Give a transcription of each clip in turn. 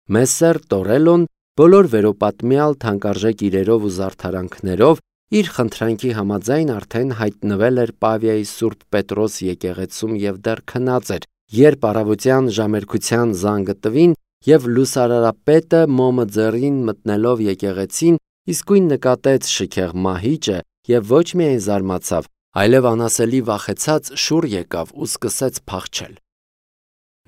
Մեսսեր Տորելոն բոլոր վերոպատմյալ թանկարժեք իրերով ու զարդարանքներով իր խնդրանքի համաձայն արդեն հայտնվել էր Պավիայի Սուրբ Պետրոս եկեղեցում և դեռ քնած էր, երբ առավոտյան ժամերքության զանգը տվին և լուսարարապետը մոմը ձեռին մտնելով եկեղեցին իսկույն նկատեց շքեղ մահիճը և ոչ միայն զարմացավ, այլև անասելի վախեցած շուռ եկավ ու սկսեց փախչել։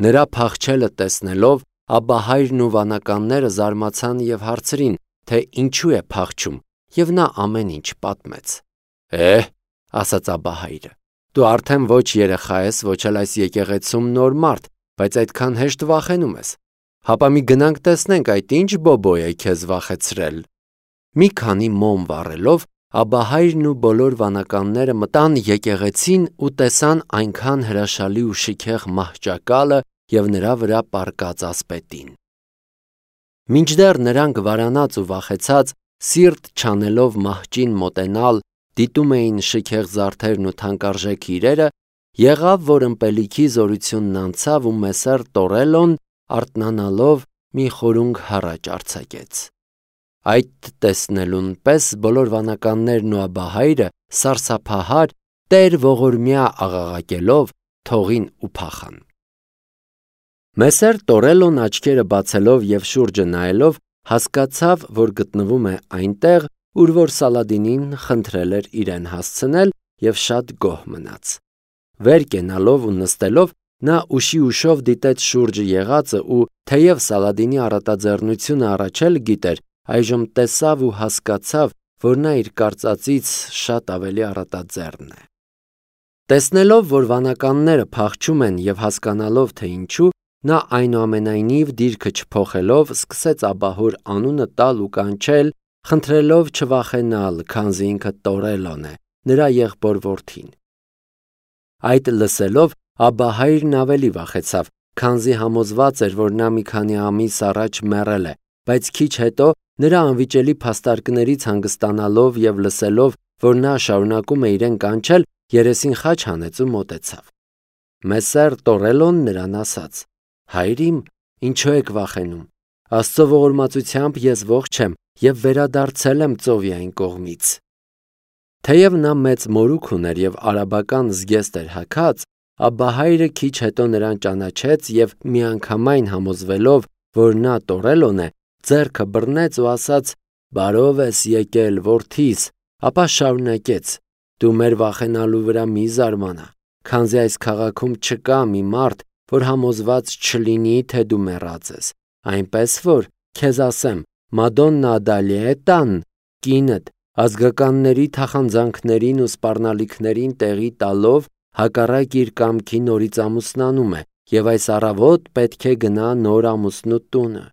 Նրա փախչելը տեսնելով Աբբահայրն ու վանականները զարմացան և հարցրին, թե ինչու է փախչում, և նա ամեն ինչ պատմեց։ Ասաց Աբբահայրը, դու արդեն ոչ երեխա ես, ոչ էլ այս եկեղեցում նոր մարդ, բայց այդքան հեշտ վախենում ես։ Հապա մի գնանք տեսնենք այդ ինչ բոբո է քեզ վախեցրել։ Մի քանի մոմ վառելով Աբբահայրն ու բոլոր վանականները մտան եկեղեցին ու տեսան այնքան հրաշալի ու շքեղ մահճակալը և նրա վրա պառկած ասպետին։ Մինչդեռ նրանք վարանած ու վախեցած, սիրտ չանելով մահճին մոտենալ, դիտում էին շքեղ զարդերն ու թանկարժեք իրերը, եղավ, որ ըմպելիքի զորությունն անցավ ու Մեսսեր Տորելոն արթնանալով մի խորունգ հառաչ արձակեց։ Այդ տեսնելուն պես բոլոր վանականներն ու Աբբահայրը սարսափահար Տեր ողորմյա աղաղակելով թողին ու փախան։ Մեսսեր Տորելոն աչքերը բացելով և շուրջը նայելով հասկացավ, որ գտնվում է այնտեղ, ուր որ Սալադինին խնդրել էր իրեն հասցնել և շատ գոհ մնաց։ Վեր կենալով ու նստելով նա ուշի ուշով դիտեց շուրջը եղածը ու թեև Սալադինի առատաձեռնությունը առաջ էլ գիտեր, այժմ տեսավ ու հասկացավ, որ նա իր կարծածից շատ ավելի առատաձեռն է։ Տեսնելով, որ վանականները փախչում են և հասկանալով, թե ինչու, նա այնուամենայնիվ դիրքը չփոխելով սկսեց աբահոր անունը տալ ու կանչել, խնդրելով չվախենալ, քանզի ինքը Տորելոն է, նրա եղբոր որդին։ Այդ լսելով Աբբահայրն ավելի վախեցավ, քանզի համոզված էր, որ նա մի քանի ամիս առաջ մեռել է, բայց քիչ հետո նրա անվիճելի փաստարկներից հանգստանալով և լսելով, որ նա շարունակում է իրեն կանչել, երեսին խաչ հանեց ու մոտեցավ։ Մեսսեր Տորելոն նրան ասաց. «Հայր իմ, ինչու եք վախենում, Աստծո ողորմածությամբ ես ողջ եմ և վերադարձել եմ Ծովիային կողմից»։ Թեև նա մեծ մորուք ուներ և արաբական զգեստ էր հագած, Աբբահայրը քիչ հետո նրան ճանաչեց և միանգամայն համոզվելով, որ նա Տորելոն է, ձեռքը բռնեց ու ասաց. «Բարով ես եկել, որդիս», ապա շարունակեց. «Դու մեր վախենալու վրա մի զարմանա, քանզի այս քաղաքում չկա մի մարդ, որ համոզված չլինի, թե դու մեռած ես, այնպես որ, քեզ ասեմ, Մադոննա Ադալիետան, կինդ, ազգականների թախանձանքներին ու սպառնալիքներին տեղի տալով, հակառակ իր կամքի նորից ամուսնանում է, և այս առավոտ պետք է գնա նոր ամուսնու տունը։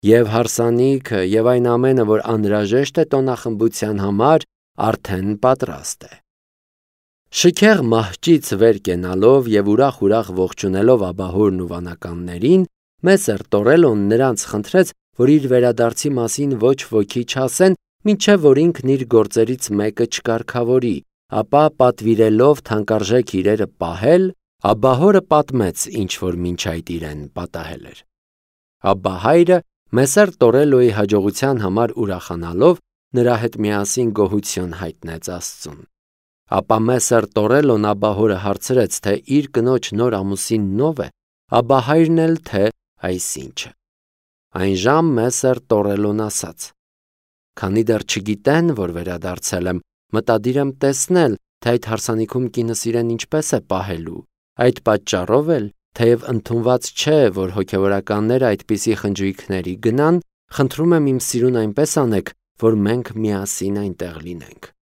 Եվ հարսանիքը և այն ամենը, որ անհրաժեշտ է տոնախմբության համար, արդեն պատրաստ է»։ Շքեղ մահճից վեր կենալով և ուրախ ողջունելով աբահորն ու վանականներին, Մեսսեր Տորելոն նրանց խնդրեց, որ իր վերադարձի մասին ոչ ոքի չասեն, մինչև որ ինքն իր գործերից մեկը չկարգավորի, ապա պատվիրելով թանկարժեք իրերը պահել, աբահորը պատմեց, ինչ որ մինչ այդ իրեն պատահել էր։ Աբբահայրը Մեսսեր Տորելոյի հաջողության համար ուրախանալով նրա հետ միասին գոհություն հայտնեց Աստծուն։ Ապա Մեսսեր Տորելոն աբահորը հարցրեց, թե իր կնոջ նոր ամուսինն ով է, Աբբահայրն էլ թե այսինչը։ Այնժամ Մեսսեր Տորելոն ասաց. «Քանի դեռ չգիտեն, որ վերադարձել եմ, մտադիր եմ տեսնել, թե այդ հարսանիքում կինս իրեն ինչպես է պահելու։ Այդ պատճառով էլ, թեև ընդունված չէ, որ հոգևորականները այդպիսի խնջույքների գնան, խնդրում եմ իմ սիրուն այնպես անեք, որ մենք միասին այնտեղ լինենք»։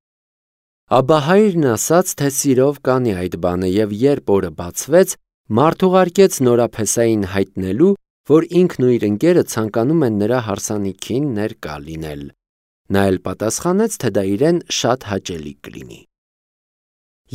Աբբահայրն ասաց, թե սիրով կանի այդ բանը, և երբ օրը բացվեց, մարդ ուղարկեց նորափեսային հայտնելու, որ ինքն ու իր ընկերը ցանկանում են նրա հարսանիքին ներկա լինել։ Նա էլ պատասխանեց, թե դա իրեն շատ հաճելի կլինի։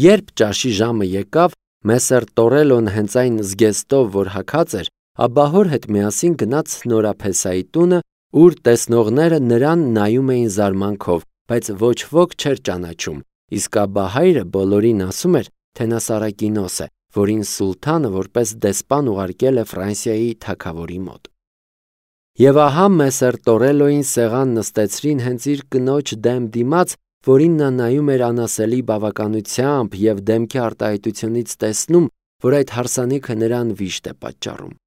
Երբ ճաշի ժամը եկավ, Մեսսեր Տորելոն հենց այն զգեստով, որ հագած էր, աբահոր հետ միասին գնաց նորափեսայի տունը, ուր տեսնողները նրան նայում էին զարմանքով, բայց ոչ ոք չէր ճանաչում, իսկ աբբահայրը բոլորին ասում էր, թե նա Սարակինոս է, որին սուլթանը որպես դեսպան ուղարկել է Ֆրանսիայի թագավորի մոտ։ Եվ ահա Մեսեր Տորելոին սեղան նստեցրին հենց իր կնոջ դեմ դիմաց, որին նա նայում էր անասելի բավականությամբ և դեմքի արտահայտությունից տեսնում, որ այդ հարսանիքը նրան վիշտ է պատճառում։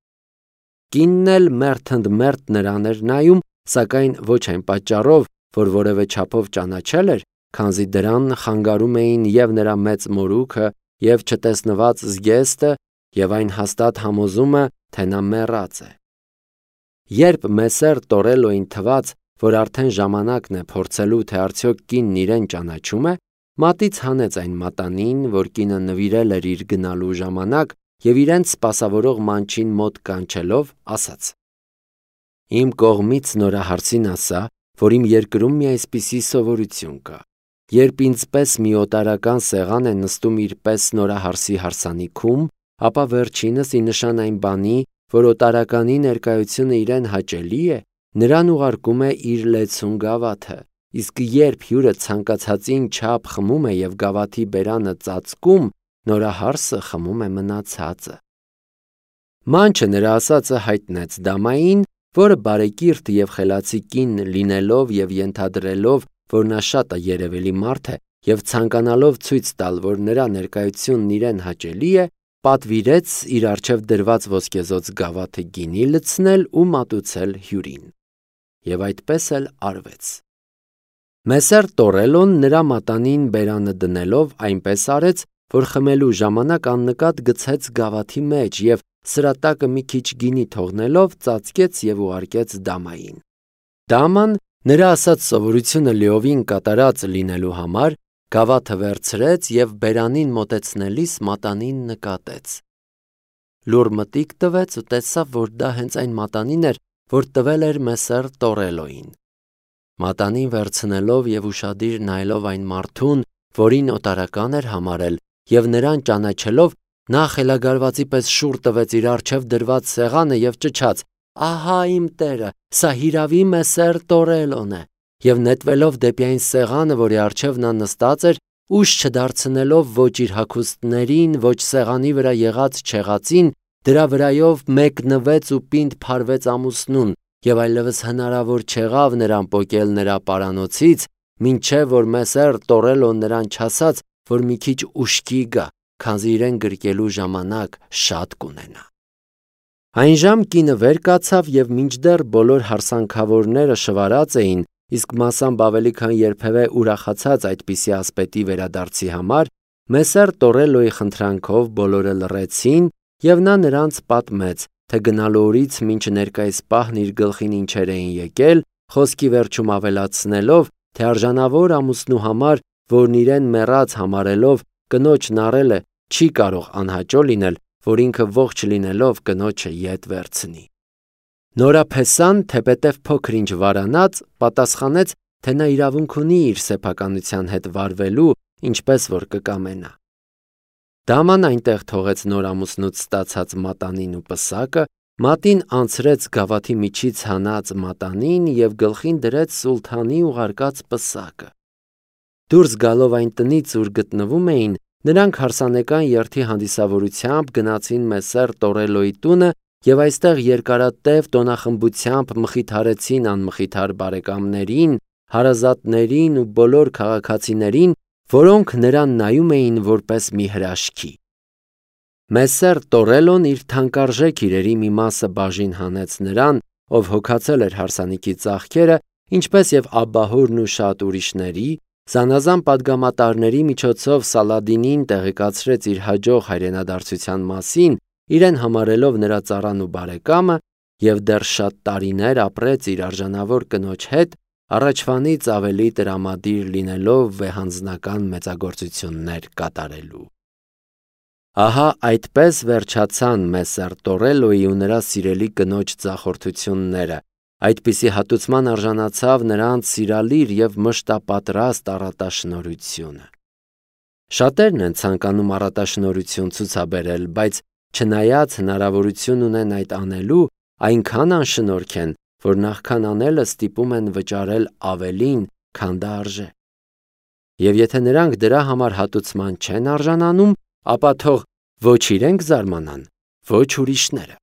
Կինն էլ մերթընդմերթ նրան էր նայում, սակայն ոչ այն պատճառով, որ որևէ չափով ճանաչել էր, քանզի դրան խանգարում էին և նրա մեծ մորուքը, և չտեսնված զգեստը, և այն հաստատ համոզումը, թե նա մեռած է։ Երբ Մեսեր Տորելոին թվաց, որ արդեն ժամանակն է փորձելու, թե արդյոք կինն իրեն ճանաչում է, մատից հանեց այն մատանին, որ կինը նվիրել էր իր գնալու ժամանակ, և իրենց սպասավորող մանչին մոտ կանչելով, ասաց. «Իմ կողմից նորահարսին ասա, որ իմ երկրում մի այսպիսի սովորություն կա. երբ ինձպես մի օտարական սեղան է նստում իր պես նորահարսի հարսանիքում, ապա վերջինս ի նշան այն բանի, որ օտարականի ներկայությունը իրեն հաճելի է, նրան ուղարկում է իր լեցուն գավաթը, իսկ երբ հյուրը ցանկացածին չափ խմում է և գավաթի բերանը ծածկում, նորահարսը խմում է մնացածը»։ Մանչը նրա ասածը հայտնեց դամային, որը բարեկիրթ և խելացի կին լինելով և ենթադրելով, որ նա շատ երևելի մարդ է, և ցանկանալով ցույց տալ, որ նրա ներկայությունն իրեն հաճելի է, պատվիրեց իր առջև դրված ոսկեզօծ գավաթը գինի լցնել ու մատուցել հյուրին։ Եվ այդպես էլ արվեց։ Մեսեր Տորելոն նրա մատանին բերանը դնելով այնպես արեց, որ խմելու ժամանակ աննկատ գցեց գավաթի մեջ և սրատակը մի քիչ գինի թողնելով ծածկեց և ուղարկեց դամային։ Դաման, նրա ասած սովորությունը լիովին կատարած լինելու համար, գավաթը վերցրեց և բերանին մոտեցնելիս մատանին նկատեց։ Լուռ մտիկ տվեց ու տեսավ, որ դա հենց այն մատանին էր, որ տվել էր Մեսեր Տորելոին։ Մատանին վերցնելով և ուշադիր նայելով այն մարդուն, որին օտարական էր համարել, և նրան ճանաչելով, նա խելագարվածի պես շուռ տվեց իր առջև դրված սեղանը և ճչաց. «Ահա իմ տերը, սա հիրավի Մեսեր Տորելոն է», և նետվելով դեպի այն սեղանը, որի առջև նա նստած էր, ուշ չդարձնելով ոչ իր հագուստներին, ոչ սեղանի վրա եղած չեղածին, դրա վրայով մեկնվեց ու պինդ փարվեց ամուսնուն, և այլևս հնարավոր չեղավ նրան պոկել նրա պարանոցից, մինչև որ Մեսեր Տորելոն նրան չասաց, որ մի քիչ ուշքի գա, քանզի իրեն գրկելու ժամանակ շատ կունենա։ Այնժամ կինը վեր կացավ և մինչդեռ բոլոր հարսանքավորները շվարած էին, իսկ մասամբ ավելի քան երբևէ ուրախացած այդպիսի ասպետի վերադարձի համար, Մեսեր Տորելոյի խնդրանքով բոլորը լռեցին, և նա նրանց պատմեց, թե գնալու օրից մինչ ներկայիս պահն իր գլխին ինչեր էին եկել, խոսքի վերջում ավելացնելով, թե արժանավոր ամուսնու համար, որն իրեն մեռած համարելով կնոջն առել է, չի կարող անհաճո լինել, որ ինքը ողջ լինելով կնոջը ետ վերցնի։ Նորափեսան, թեպետև փոքր-ինչ վարանած, պատասխանեց, թե նա իրավունք ունի իր սեփականության հետ վարվելու, ինչպես որ կկամենա։ Դաման այնտեղ թողեց նոր ամուսնուց ստացած մատանին ու պսակը, մատին անցրեց գավաթի միջից հանած մատանին և գլխին դրեց սուլթանի ուղարկած պսակը։ Դուրս գալով այն տնից, ուր գտնվում էին, նրանք հարսանեկան երթի հանդիսավորությամբ գնացին Մեսեր Տորելոյի տունը և այստեղ երկարատև տոնախմբությամբ մխիթարեցին անմխիթար բարեկամներին, հարազատներին ու բոլոր քաղաքացիներին, որոնք նրան նայում էին որպես մի հրաշքի։ Մեսեր Տորելոն իր թանկարժեք իրերի մի մասը բաժին հանեց նրան, ով հոգացել էր հարսանիքի ծախքերը, ինչպես և աբբահորն ու շատ ուրիշների, զանազան պատգամատարների միջոցով Սալադինին տեղեկացրեց իր հաջող հայրենադարձության մասին, իրեն համարելով նրա ծառան ու բարեկամը, և դեռ շատ տարիներ ապրեց իր արժանավոր կնոջ հետ, առաջվանից ավելի տրամադիր լինելով վեհանձնական մեծագործություններ կատարելու։ Ահա այդպես վերջացան Մեսեր Տորելոյի ու նրա սիրելի կնոջ ձախորդությունները, այդպիսի հատուցման արժանացավ նրանց սիրալիր և մշտապատրաստ առատաշնորհությունը։ Շատերն են ցանկանում առատաշնորհություն ցուցաբերել, բայց չնայած հնարավորություն ունեն այդ անելու, այնքան անշնորհք են, որ նախքան անելը ստիպում են վճարել ավելին, քան դա արժե։ Եվ եթե նրանք դրա համար հատուցման չեն արժանանում, ապա թող ոչ իրենք զարմանան, ոչ ուրիշները։